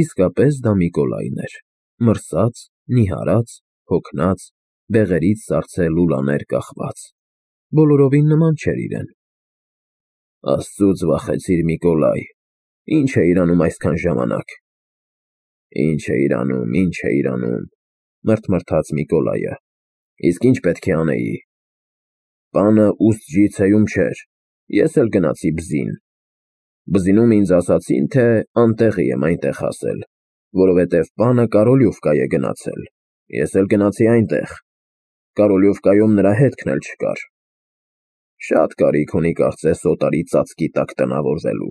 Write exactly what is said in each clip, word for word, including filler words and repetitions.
Իսկապես դա Միկոլայն էր, մրսած, նիհարած, հոգնած, բեղերից սառցե լուլաներ կախված, բոլորովին նման չէր իրեն։ Աստծուց վախեցիր, Միկոլայ, ի՞նչ էիր անում այսքան ժամանակ։ Ինչ էիր անում, ինչ էիր անում, մրթմրթաց Միկոլայը, իսկ ինչ պետք է անեի։ Պանը ուսջիցեում չէր, ես էլ գնացի բզին։ Բզինում ինձ ասացին, թե անտեղի եմ այնտեղ հասել, որովհետև պանը Կարոլյուվկա է գնացել, ես էլ գնացի այնտեղ, Կարոլյուվկայում նրա հետքն էլ չկար։ Շատ կարիք ունի կարծես օտարի ծածկի տակ տնավորվելու։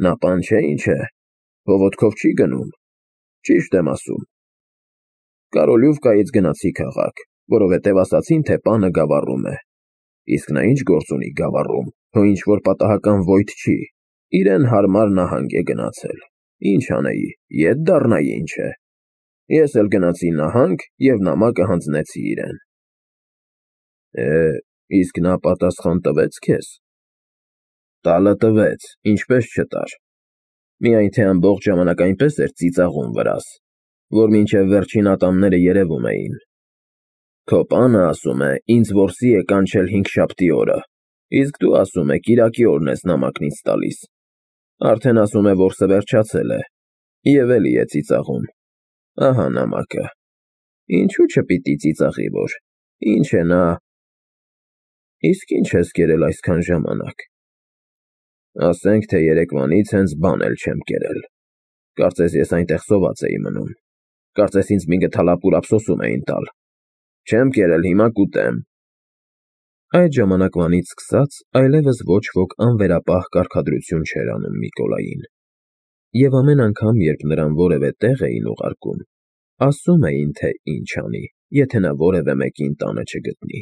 Նա պան չէ ինչ է, փողոդքով չի գնում, ճիշտ եմ ասում։ Կարոլյուվկայից գնացի քաղաք, որովհետև ասացին, թե պանը գավառում է։ Իսկ նա ինչ գործ ունի գավառում, հո ինչ-որ պատահական վոյթ չի, իրեն հարմար նահանգ է գնացել, ինչ անեի, ետ դառնայի ինչ է։ Ես էլ գնացի նահանգ և նամակը հանձնեցի իրեն։ Է, իսկ նա պատասխան տվեց քեզ։ Տալը տվեց, ինչպես չտար։ Միայն թե ամբողջ ժամանակ այնպես էր ծիծաղում վրաս, որ մինչև վերջին ատամները երևում էին։ Քո պանը ասում է, ինձ որսի է կանչել հինգշաբթի օրը, իսկ դու ասում է կիրակի օրն ես նամակն ինձ տալիս։ Արդեն ասում է որսը վերջացել է, և էլի է ծիծաղում։ Ահա նամակը։ Ինչու չպիտի ծիծաղի, որ, ինչ է նա։ Իսկ ինչ ես կերել այսքան ժամանակ։ Ասենք, թե երեկվանից հենց բան էլ չեմ կերել։ Կարծես ես այնտեղ սոված էի մնում։ Կարծես ինձ մի գթալապուր ափսոսում էին տալ։ Չեմ կերել, հիմա կուտեմ։ Այդ ժամանակվանից սկսած այլևս ոչ ոք անվերապահ կարգադրություն չէր անում Միկոլային։ Եվ ամեն անգամ, երբ նրան որևէ տեղ էին ուղարկում, ասում էին, թե ինչ անի, եթե նա որևէ մեկին տանը չգտնի։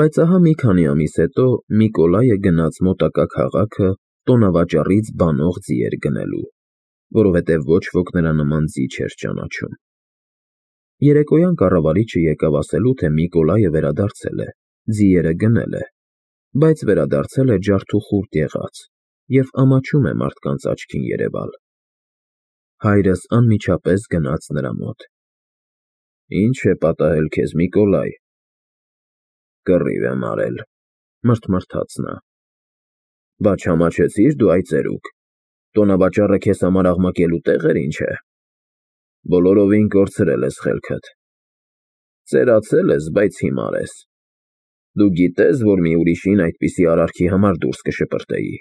Բայց ահա մի քանի ամիս հետո Միկոլայը գնաց մոտակա քաղաքը տոնավաճառից բանող ձիեր գնելու, որովհետև ոչ ոք նրա նման ձի չէր ճանաչում։ Երեկոյան կառավարիչը եկավ ասելու, թե Միկոլայը վերադարձել է, ձիերը գնել է, բայց վերադարձել է ջարդուխուրդ եղած և ամաչում է մարդկանց աչքին երևալ։ Հայրս անմիջապես գնաց նրա մոտ։ Ինչ է պատահել քեզ, Միկոլայ։ Կռիվ եմ արել, մրթմրթաց նա։ Բա չամաչեցի՞ր դու այդ ծերուկ։ Տոնավաճառը քեզ համար աղմկելու տեղ էր, ինչ է։ Բոլորովին կորցրել ես խելքդ։ Ծերացել ես, բայց հիմար ես։ Դու գիտես, որ մի ուրիշին այդպիսի արարքի համար դուրս կշպրտեի։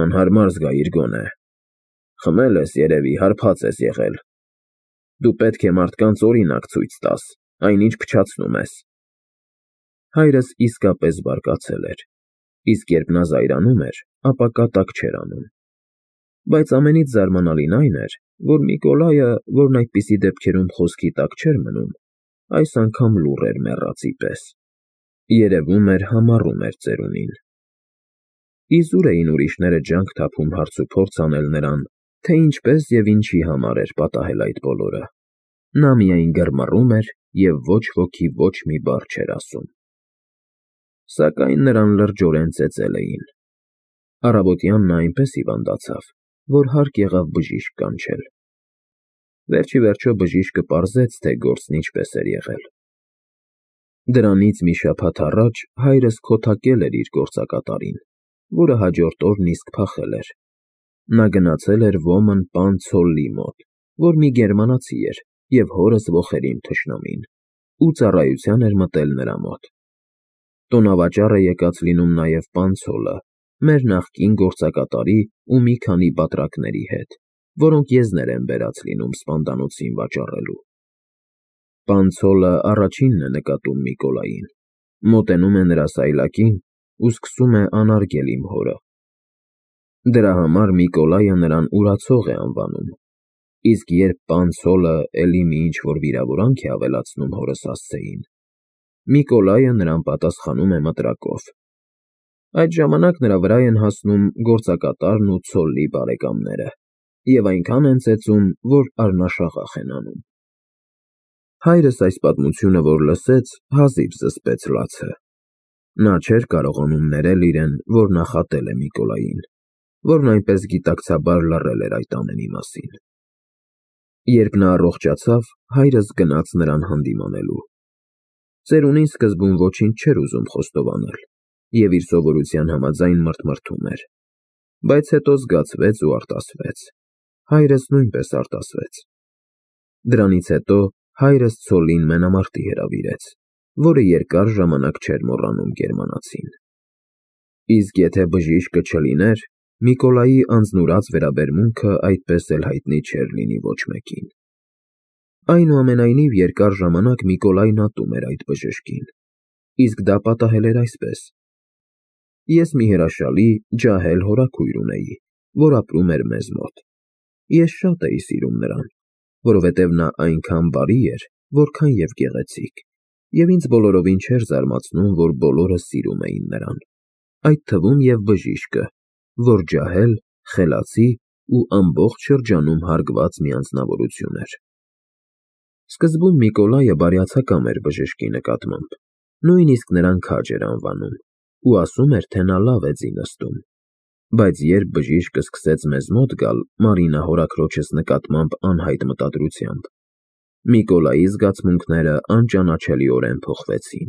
Անհարմար զգայիր գոնե։ Խմել ես երևի, հարբած ես եղել։ Դու պետք է մարդկանց օրինակ ցույց տաս, այնինչ փչացնում ես։ Հայրս իսկապես բարկացել էր, իսկ երբ նա զայրանում էր, ապա կատակ չէր անում։ Բայց ամենից զարմանալին այն էր, որ Միկոլայը, որն այդպիսի դեպքերում խոսքի տակ չէր մնում, այս անգամ լուռ էր մեռածի պես։ Երևում էր համառում էր ծերունին։ Իզուր էին ուրիշները ջանք թափում հարցուփորձ անել նրան, թե ինչպես և ինչի համար էր պատահել այդ բոլորը։ Նա միայն գրմռում էր և ոչ ոքի ոչ մի բառ չէր ասում։ Սակայն նրան լրջորեն ծեծել էին։ Առավոտյան նա այնպես հիվանդացավ, որ հարկ եղավ բժիշկ կանչել։ Վերջիվերջո բժիշկը պարզեց, թե գործն ինչպես էր եղել։ Դրանից մի շաբաթ առաջ հայրս քոթակել էր իր գործակատարին, որը հաջորդ օրն իսկ փախել էր։ Նա գնացել էր ոմն պան Ցոլլի մոտ, որ մի գերմանացի էր և հորս ոխերիմ թշնամին, ու ծառայության էր մտել նրա մոտ։ Տոնավաճառ է եկած լինում նաև պան Ցոլը, մեր նախկին գործակատարի ու մի քանի բատրակների հետ, որոնք եզներ են բերած լինում սպանդանոցին վաճառելու։ Պան Ցոլը առաջինն է նկատում Միկոլային, մոտենում է նրա սայլակին ու սկսում է անարգել իմ հորը։ Դրա համար Միկոլայը նրան ուրացող է անվանում, իսկ երբ պան Ցոլը էլի մի ինչ֊որ վիրավորանք է ավելացնում հորս հասցեին, Միկոլայը նրան պատասխանում է մտրակով։ Այդ ժամանակ նրա վրա են հասնում գործակատարն ու Ցոլլի բարեկամները և այնքան են ծեծում, որ առնաշաղախ են անում։ Հայրս այս պատմությունը, որ լսեց, հազիվ զսպեց լացը։ Նա չէր կարողանում ներել իրեն, որ նախատել է Միկոլային։ որն այնպես գիտակցաբար լռել էր այդ ամենի մասին։ Երբ նա առողջացավ, հայրս գնաց նրան հանդիմանելու։ Ծերունին սկզբում ոչինչ չէր ուզում խոստովանել և իր սովորության համաձայն մռթմռթում էր, բայց հետո զգացվեց ու արտասվեց։ Հայրս նույնպես արտասվեց։ Դրանից հետո հայրս ցոլին մենամարտի հրավիրեց, որը երկար ժամանակ չէր մոռանում գերմանացին։ Իսկ եթե բժիշկը չլիներ, Միկոլայի անձնուրաց վերաբերմունքը այդպես էլ հայտնի չէր լինի ոչ մեկին։ Այնուամենայնիվ երկար ժամանակ Միկոլայն ատում էր այդ բժշկին, իսկ դա պատահել էր այսպես. Ես մի հրաշալի, ջահել հորաքույր ունեի, որ ապրում էր մեզ մոտ։ Ես շատ էի սիրում նրան, որովհետև նա այնքան բարի էր, որքան և գեղեցիկ, և ինձ բոլորովին չէր զարմացնում, որ բոլորը սիրում էին նրան, այդ թվում և բժիշկը, որ ջահել, խելացի ու ամբողջ շրջանում հարգված մի անձնավորություն էր։ Սկզբում Միկոլայը բարյացակամ էր բժշկի նկատմամբ, նույնիսկ նրան քաջ էր անվանում ու ասում էր, թե նա լավ է ձի նստում, բայց երբ բժիշկը սկսեց մեզ մոտ գալ Մարինա հորաքրոջս նկատմամբ անհայտ մտադրությամբ, Միկոլայի զգացմունքները անճանաչելիորեն փոխվեցին։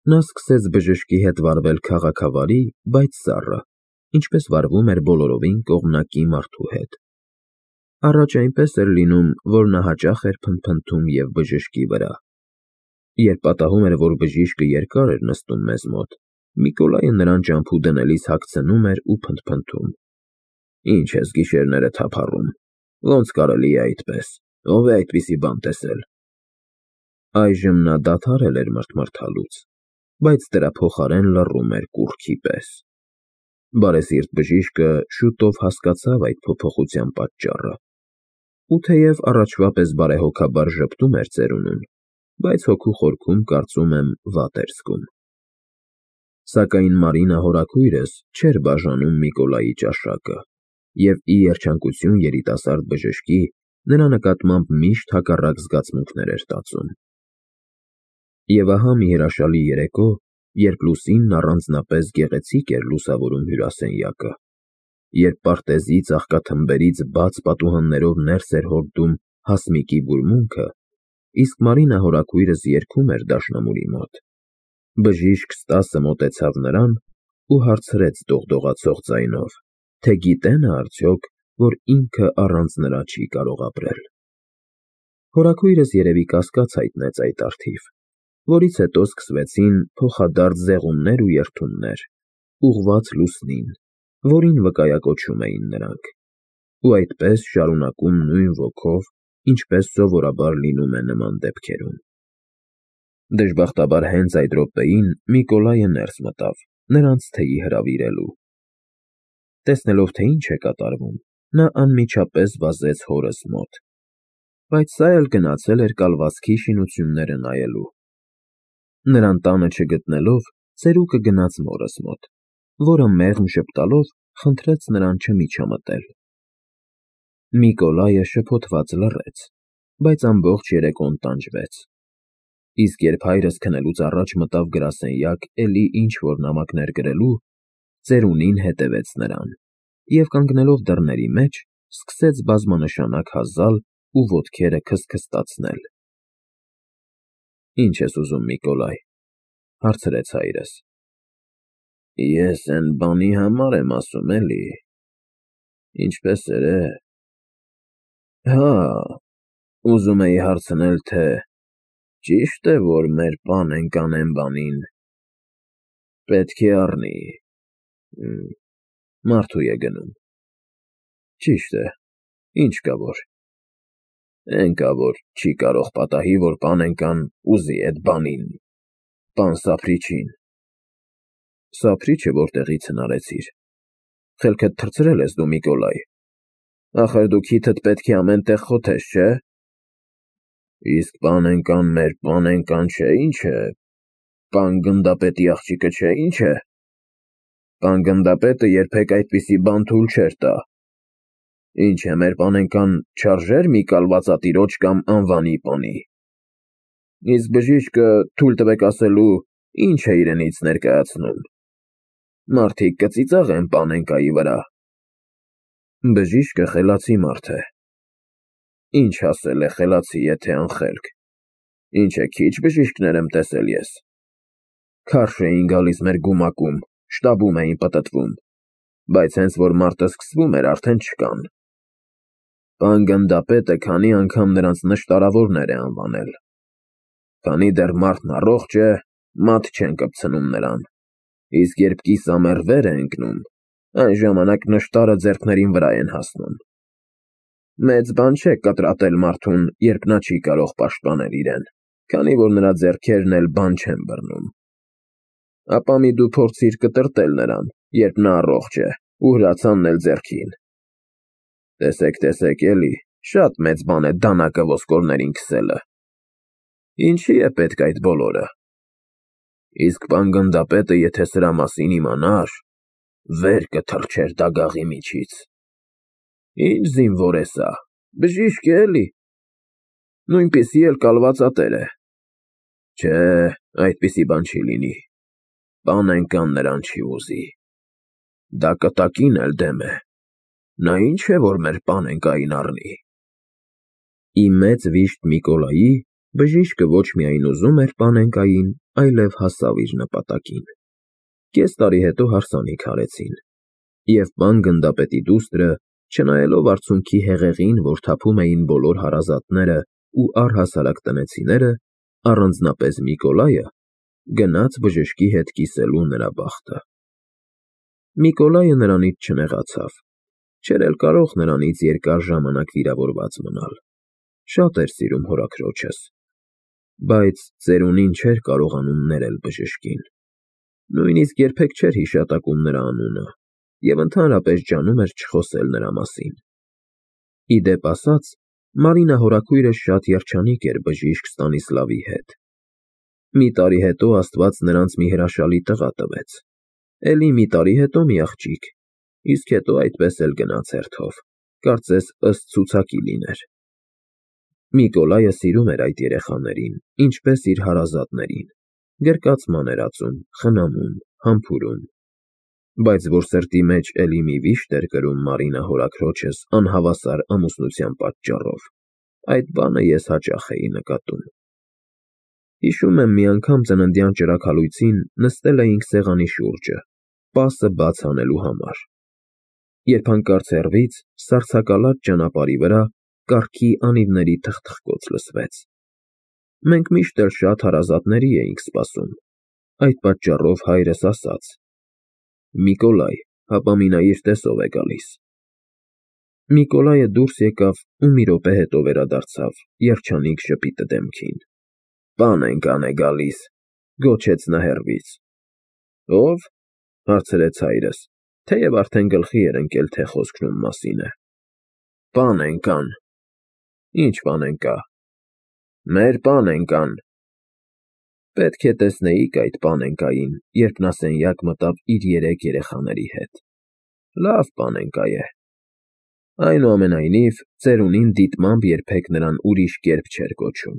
Նա սկսեց բժշկի հետ վարվել քաղաքավարի, բայց սառը, ինչպես վարվում էր բոլորովին կողմնակի մարդու հետ։ Առաջ այնպես էր լինում, որ նա հաճախ էր փնթփնթում և բժշկի վրա։ Երբ պատահում էր, որ բժիշկը երկար էր նստում մեզ մոտ, Միկոլայը նրան ճամփու դնելիս հագցնում էր ու փնթփնթում. Ինչ ես գիշերները թափառում, ոնց կարելի է այդպես, ով է այդպիսի բան տեսել։ Այժմ նա դադարել էր մռթմռթալուց, բայց դրա փոխարեն լռում էր կուռքի պես։ Բարեսիրտ բժիշկը շուտով հասկացավ այդ փոփոխության պատճառը, ու թեև առաջվա պես բարեհոգաբար ժպտում էր ծերունուն, բայց հոգու խորքում, կարծում եմ, վատ էր զգում։ Սակայն Մարինա հորաքույրս չէր բաժանում Միկոլայի ճաշակը և ի երջանկություն երիտասարդ բժշկի նրա նկատմամբ միշտ հակառակ զգացմունքներ էր տածում։ Եվ ահա մի հրաշալի երեկո, երբ լուսինն առանձնապես գեղեցիկ էր լուսավորում հյուրասենյակը, երբ պարտեզի ծաղկաթմբերից բաց պատուհաններով ներս էր հորդում հասմիկի բուրմունքը, իսկ Մարինա հորաքույրս երգում էր դաշնամուրի մոտ, բժիշկ Ստասը մոտեցավ նրան ու հարցրեց դողդողացող ձայնով, թե գիտե նա արդյոք, որ ինքը առանց նրա չի կարող ապրել։ Հորաքույրս երևի կասկած հայտնեց այդ առթիվ, որից հետո սկսվեցին փոխադարձ զեղումներ ու երդումներ, ուղղված լուսնին, որին վկայակոչում էին նրանք, ու այդպես շարունակում նույն ոգով, ինչպես սովորաբար լինում է նման դեպքերում։ Դժբախտաբար հենց այդ րոպեին Միկոլայը ներս մտավ, նրանց թեյի հրավիրելու։ Տեսնելով, թե ինչ է կատարվում, նա անմիջապես վազեց հորս մոտ, բայց սա էլ գնացել էր կալվածքի շինությունները նայելու։ Նրան տանը չգտնելով, ծերուկը գնաց մորս մոտ, որը մեղմ ժպտալով խնդրեց նրան չմիջամտել։ Միկոլայը շփոթված լռեց, բայց ամբողջ երեկոն տանջվեց, իսկ երբ հայրս քնելուց առաջ մտավ գրասենյակ էլի ինչ-որ նամակներ գրելու, ծերունին հետևեց նրան և կանգնելով դռների մեջ, սկսեց բազմանշանակ հազալ ու ոտքերը քստքստացնել։ Ինչ ես ուզում, Միկոլայ, հարցրեց հայրս։ Ես էն բանի համար եմ ասում, էլի, ինչպես էր է։ Հա, ուզում էի հարցնել, թե ճի՞շտ է, որ մեր պանենք անեն բանին պետք է առնի, մարդու է գնում։ Ճիշտ է, ինչ կա որ։ Էն կա որ չի կարող պատահի, որ պանենկան ուզի էդ բանին, պան Սափրիչին։ Սափրիչը որտեղից հնարեցիր։ Խելքդ թռցրել ես դու, Միկոլայ։ Ախր դու քիթդ պետք է ամեն տեղ խոթես, չէ՞։ Իսկ պանենկան մեր պանենկան չէ, ինչ է, պան գնդապետի աղջիկը չէ, ինչ է։ Պան գնդապետը երբեք այդպիսի բան թույլ չէր տա։ Ինչ է, մեր պանենկան չարժեր մի կալվածատիրոջ կամ անվանի պանի։ Իսկ բժիշկը, թույլ տվեք ասելու, ինչ է իրենից ներկայացնում։ Մարդիկ կծիծաղեն Պանենկայի վրա։ Բժիշկը խելացի մարդ է։ Ինչ ասել է խելացի, եթե անխելք։ Ինչ է քիչ բժիշկներ եմ տեսել ես։ Քարշ էին գալիս մեր գումակում, շտաբում էին պտտվում, բայց հենց որ մարտը սկսվում էր, արդեն չկան։ Պան գնդապետը քանի անգամ նրանց նշտարավորներ է անվանել։ Քանի դեռ մարդն առողջ է, մատ չեն կպցնում նրան, իսկ երբ կիսամեռ վեր է ընկնում, այն ժամանակ նշտարը ձեռքներին վրա են հասնում։ Մեծ բան չէ կտրատել մարդուն, երբ նա չի կարող պաշտպանել իրեն, քանի որ նրա ձեռքերն էլ բան չեն բռնում։ Ապա մի դու փորձիր կտրտել նրան, երբ նա առողջ է, ու հրացանն էլ ձեռքին։ Տեսեք, տեսեք էլի, շատ մեծ բան է դանակը ոսկորներին քսելը։ Ինչի է պետք այդ բոլորը։ Իսկ պան գնդապետը եթե սրա մասին իմանար, վեր կթռչեր դագաղի միջից։ Ինչ զինվոր է սա, բժիշկ է էլի։ Նույնպիսի էլ կալվածատեր է։ Չէ, այդպիսի բան չի լինի։ Պանենկան նրան չի ուզի։ Դա կտակին էլ դեմ է։ Նա ինչ է, որ մեր Պանենկային առնի։ Ի մեծ վիշտ Միկոլայի բժիշկը ոչ միայն ուզում էր Պանենկային, այլև հասավ իր նպատակին։ Կես տարի հետո հարսանիք արեցին, և պան գնդապետի դուստրը, չնայելով արցունքի հեղեղին, որ թափում էին բոլոր հարազատները ու առհասարակ տնեցիները, առանձնապես Միկոլայը, գնաց բժշկի հետ կիսելու նրա բախտը։ Միկոլայը նրանից չնեղացավ, չէր էլ կարող նրանից երկար ժամանակ վիրավորված մնալ, շատ էր սիրում հորաքրոջս, բայց ծերունին չէր կարողանում ներել բժշկին, նույնիսկ երբեք չէր հիշատակում նրա անունը և ընդհանրապես ջանում էր չխոսել նրա մասին։ Ի դեպ ասած, Մարինա հորաքույրը շատ երջանիկ էր բժիշկ Ստանիսլավի հետ։ Մի տարի հետո Աստված նրանց մի հրաշալի տղա տվեց, էլի մի տարի հետո մի աղջիկ, իսկ հետո այդպես էլ գնաց հերթով, կարծես ըստ ցուցակի լիներ։ Միկոլայը սիրում էր այդ երեխաներին, ինչպես իր հարազատներին, գրկացման էր ածում, խնամում, համբուրում, բայց որ սրտի մեջ էլի մի վիշտ էր կրում Մարինա հորաքրոջս անհավասար ամուսնության պատճառով, այդ բանը ես հաճախ էի նկատում։ Հիշում եմ մի անգամ ծննդյան ճրագալույցին նստել էինք սեղանի շուրջը, պասը բաց անելու համար, երբ հանկարծ հեռվից սառցակալած ճանապարհի վրա կառքի անիվների թխթխկոց լսվեց։ Մենք միշտ էլ շատ հարազատների էինք սպասում, այդ պատճառով հայրս ասաց. «Միկոլայ, հապա մի նայիր, տես ով է գալիս»։ Միկոլայը դուրս եկավ ու մի րոպե հետո վերադարձավ երջանիկ ժպիտը դեմքին։ «Պանենկան է գալիս», գոչեց նա հեռվից։ Ո՞վ, հարցրեց հայրս, թեև արդեն գլխի էր ընկել, թե խոսքն ում մասին է։ Պանենկան։ Ինչ Պանենկա։ Մեր Պանենկան։ Պետք է տեսնեիք այդ Պանենկային, երբ նա սենյակ մտավ իր երեք երեխաների հետ։ Լավ Պանենկա է։ Այնուամենայնիվ, ծերունին դիտմամբ երբեք նրան ուրիշ կերպ չէր կոչում։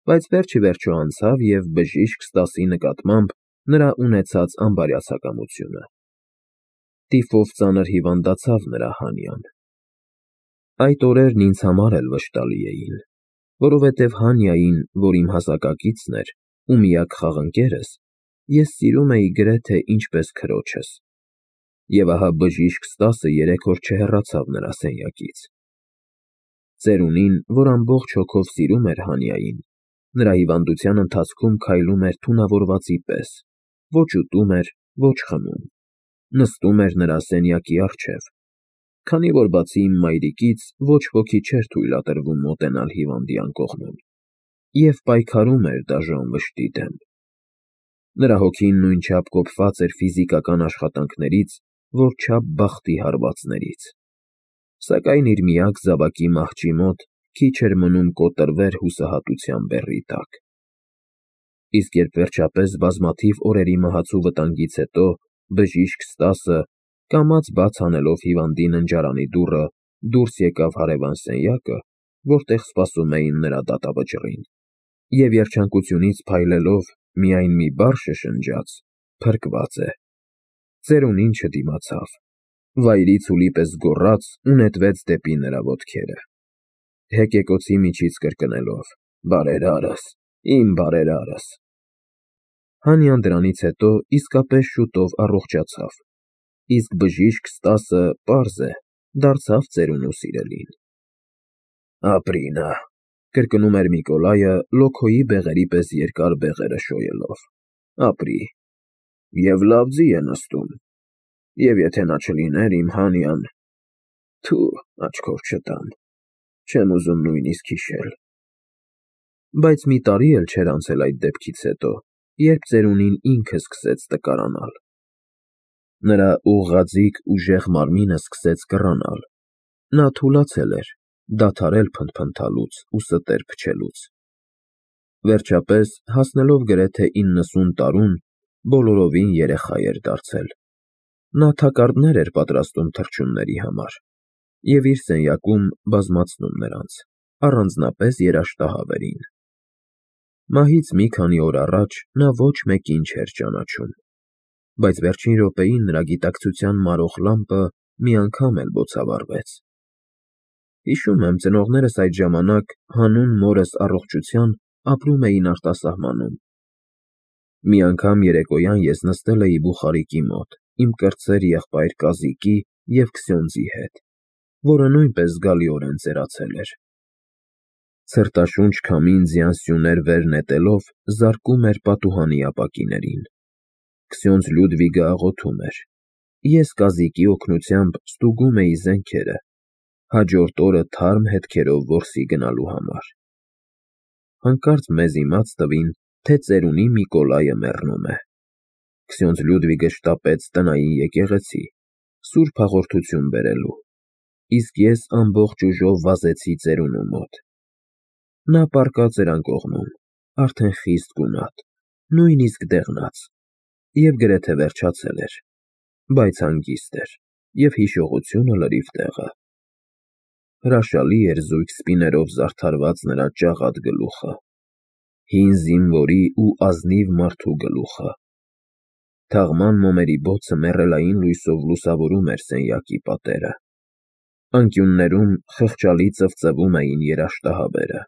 Բայց վերջիվերջո անցավ և բժիշկ Ստասի նկատմամբ նրա ունեցած անբարյացակամությունը։ Տիֆով ծանր հիվանդացավ նրա Հանյան։ Այդ օրերն ինձ համար էլ վշտալի էին, որովհետև Հանյային, որ իմ հասակակիցն էր ու միակ խաղընկերս, ես սիրում էի գրեթե ինչպես քրոջս։ Եվ ահա բժիշկ Ստասը երեք օր չհեռացավ նրա սենյակից։ Ծերունին, որ ամբողջ հոգով սիրում էր Հանյային, նրա հիվանդության ընթացքում քայլում էր թունավորվածի պես, ոչ ուտում էր, ոչ խմում, նստում էր նրա սենյակի առջև, քանի որ բացի իմ մայրիկից ոչ ոքի չէր թույլատրվում մոտենալ հիվանդի անկողնուն, և պայքարում էր դաժան վշտի դեմ։ Նրա հոգին նույնչափ կոփված էր ֆիզիկական աշխատանքներից, որչափ բախտի հարվածներից, սակայն իր միակ զավակի մահճի մոտ քիչ էր մնում կոտրվեր հուսահատության բեռի տակ։ Իսկ երբ վերջապես բազմաթիվ օրերի մահացու վտանգից հետո բժիշկ Ստասը, կամաց բաց անելով հիվանդի ննջարանի դուռը, դուրս եկավ հարևան սենյակը, որտեղ սպասում էին նրա դատավճռին, և երջանկությունից փայլելով միայն մի բառ շշնջաց. «Փրկված է»։ Ծերունին չդիմացավ, վայրի ցուլի պես գոռաց ու նետվեց դեպի նրա ոտքերը, հեկեկոցի միջից կրկնելով. «Բարերարս, իմ բարերարս»։ Հանյան դրանից հետո իսկապես շուտով առողջացավ, իսկ բժիշկ Ստասը, պարզ է, դարձավ ծերունու սիրելին։ «Ապրի նա», կրկնում էր Միկոլայը լոքոյի բեղերի պես երկար բեղերը շոյելով, «ապրի, և լավ ձի է նստում, և եթե նա չլիներ իմ Հանյան… Թու, աչքով չտամ, չեմ ուզում նույնիսկ հիշել»։ Բայց մի տարի էլ չէր անցել այդ դեպքից հետո, երբ ծերունին ինքը սկսեց տկարանալ։ Նրա ուղղաձիգ ուժեղ մարմինը սկսեց կռանալ, նա թուլացել էր, դադարել փնթփնթալուց ու ստեր փչելուց։ Վերջապես, հասնելով գրեթե իննսուն տարուն, բոլորովին երեխա էր դարձել։ Նա թակարդներ էր պատրաստում թռչունների համար և իր սենյակում բազմացնում նրանց, առանձնապես երաշտահավերին։ Մահից մի քանի օր առաջ նա ոչ մեկին չէր ճանաչում, բայց վերջին րոպեին նրա գիտակցության մարող լամպը մի անգամ էլ բոցավառվեց։ Հիշում եմ, ծնողներս այդ ժամանակ հանուն մորս առողջության ապրում էին արտասահմանում։ Մի անգամ երեկոյան ես նստել էի բուխարիկի մոտ իմ կրտսեր եղբայր Կազիկի և Քսյոնդզի հետ, որը նույնպես զգալիորեն ծերացել էր։ Ցրտաշունչ քամին ձյան սյուներ վեր նետելով զարկում էր պատուհանի ապակիներին։ Քսյոնդզ Լյուդվիգը աղոթում էր։ Ես Կազիկի օգնությամբ ստուգում էի զենքերը, հաջորդ օրը թարմ հետքերով որսի գնալու համար։ Հանկարծ մեզ իմաց տվին, թե ծերունի Միկոլայը մեռնում է։ Քսյոնդզ Լյուդվիգը շտապեց տնային եկեղեցի, սուրբ հաղորդություն բերելու, իսկ ես ամբողջ ուժով վազեցի ծերունու մոտ։ Նա պառկած էր անկողնում, արդեն խիստ գունատ, նույնիսկ դեղնած, և գրեթե վերջացել էր, բայց հանգիստ էր, և հիշողությունը լրիվ տեղը։ Հրաշալի էր զույգ սպիներով զարդարված նրա ճաղատ գլուխը, հին զինվորի ու ազնիվ մարդու գլուխը։ Թաղման մոմերի բոցը մեռելային լույսով լուսավորում էր սենյակի պատերը։ Անկյուններում խղճալի ծվծվում էին երաշտահաբերը։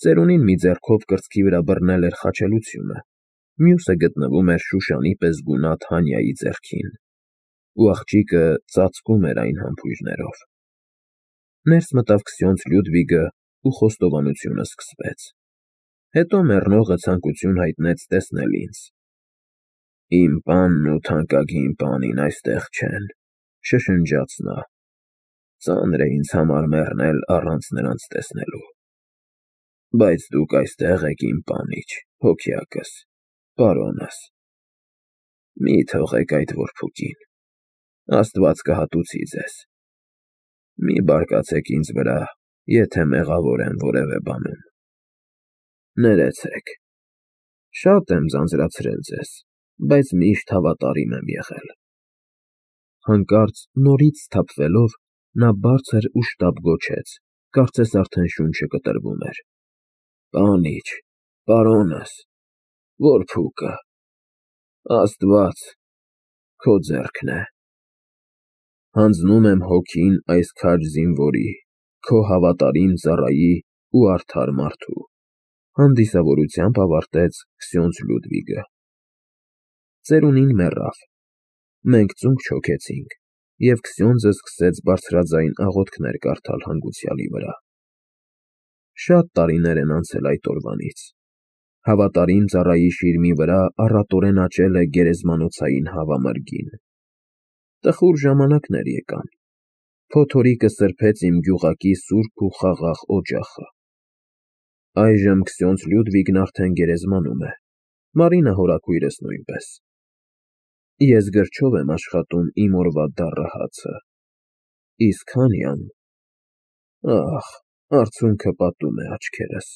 Ծերունին մի ձեռքով կրծքի վրա բռնել էր խաչելությունը, մյուսը գտնվում էր Շուշանի պես գունատ Հանյայի ձեռքին, ու աղջիկը ծածկում էր այն համբույրներով։ Ներս մտավ Քսյոնդզ Լյուդվիգը ու խոստովանությունը սկսվեց։ Հետո մեռնողը ցանկություն հայտնեց տեսնել ինձ։ «Իմ պանն ու թանկագին պանին այստեղ չեն», շշնջաց նա։ «Ծանր է ինձ համար մեռնել առանց նրանց տեսնելու։ Բայց դուք այստեղ եք, իմ պանիչ, հոգյակս, պարոնս։ Մի թողեք այդ որբուկին, Աստված կհատուցի ձեզ։ Մի բարկացեք ինձ վրա, եթե մեղավոր եմ որևէ բանում։ Ներեցեք։ Շատ եմ ձանձրացրել ձեզ, բայց միշտ հավատարիմ եմ եղել»։ Հանկարծ նորից սթափվելով, նա բարձր ու շտապ գոչեց, կարծես արդեն շունչը կտրվում էր. «Պանիչ, պարոնս, որբուկը… Աստված… քո ձեռքն է… Հանձնում եմ հոգին այս քաջ զինվորի, քո հավատարիմ ծառայի ու արդար մարդու», հանդիսավորությամբ ավարտեց Քսյոնդզ Լյուդվիգը։ Ծերունին մեռավ։ Մենք ծունկ չոքեցինք, և Քսյոնդզը սկսեց բարձրաձայն աղոթքներ կարդալ հանգուցյալի վրա։ Շատ տարիներ են անցել այդ օրվանից։ Հավատարիմ ծառայի շիրմի վրա առատորեն աճել է գերեզմանոցային հավամրգին։ Տխուր ժամանակներ եկան։ Փոթորիկը սրբեց իմ գյուղակի սուրբ ու խաղաղ օջախը։ Այժմ Քսյոնդզ Լյուդվիգն արդեն գերեզմանում է, Մարինա հորաքույրս նույնպես։ Ես գրչով եմ աշխատում իմ օրվա դառը հացը, իսկ Հանյան… Ահ, արցունքը պատում է աչքերս։